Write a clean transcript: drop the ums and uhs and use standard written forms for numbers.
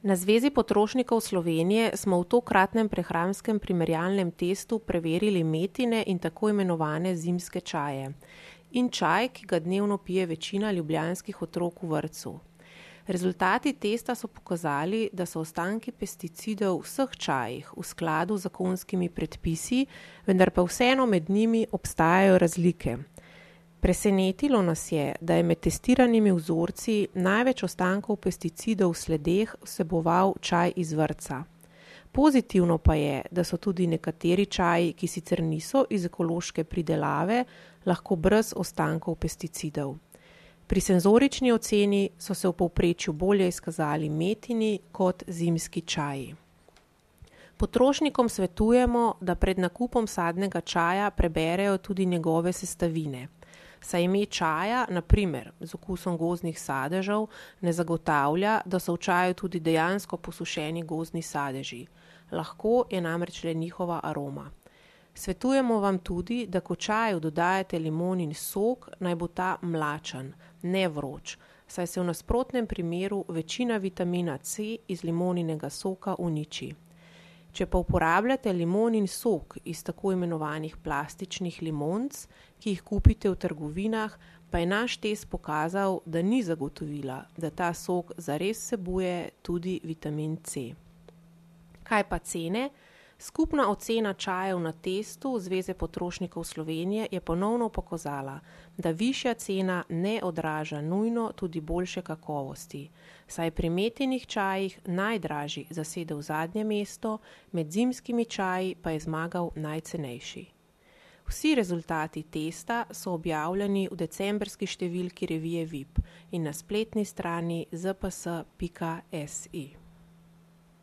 Na Zvezi potrošnikov Slovenije smo v tokratnem prehranskem primerjalnem testu preverili metine in tako imenovane zimske čaje in čaj, ki ga dnevno pije večina ljubljanskih otrok v vrtcu. Rezultati testa so pokazali, da so ostanki pesticidov v vseh čajih v skladu z zakonskimi predpisi, vendar pa vseeno med njimi obstajajo razlike. Presenetilo nas je, da je med testiranimi vzorci največ ostankov pesticidov v sledeh vseboval čaj iz vrtca. Pozitivno pa je, da so tudi nekateri čaji, ki sicer niso iz ekološke pridelave, lahko brez ostankov pesticidov. Pri senzorični oceni so se v povprečju bolje izkazali metini kot zimski čaji. Potrošnikom svetujemo, da pred nakupom sadnega čaja preberejo tudi njegove sestavine. Saj ime čaja, na primer z okusom gozdnih sadežev, ne zagotavlja, da so v čaju tudi dejansko posušeni gozdni sadeži. Lahko je namreč le njihova aroma. Svetujemo vam tudi, da ko čaju dodajate limonin sok, naj bo ta mlačen, ne vroč, saj se v nasprotnem primeru večina vitamina C iz limoninega soka uniči. Če pa uporabljate limonin sok iz tako imenovanih plastičnih limonc, ki jih kupite v trgovinah, pa je naš test pokazal, da ni zagotovila, da ta sok zares vsebuje tudi vitamin C. Kaj pa cene? Skupna ocena čajev na testu Zveze potrošnikov Slovenije je ponovno pokazala, da višja cena ne odraža nujno tudi boljše kakovosti, saj pri metinih čajih najdražji zasedel zadnje mesto, med zimskimi čaji pa je zmagal najcenejši. Vsi rezultati testa so objavljeni v decembrski številki revije VIP in na spletni strani zps.si.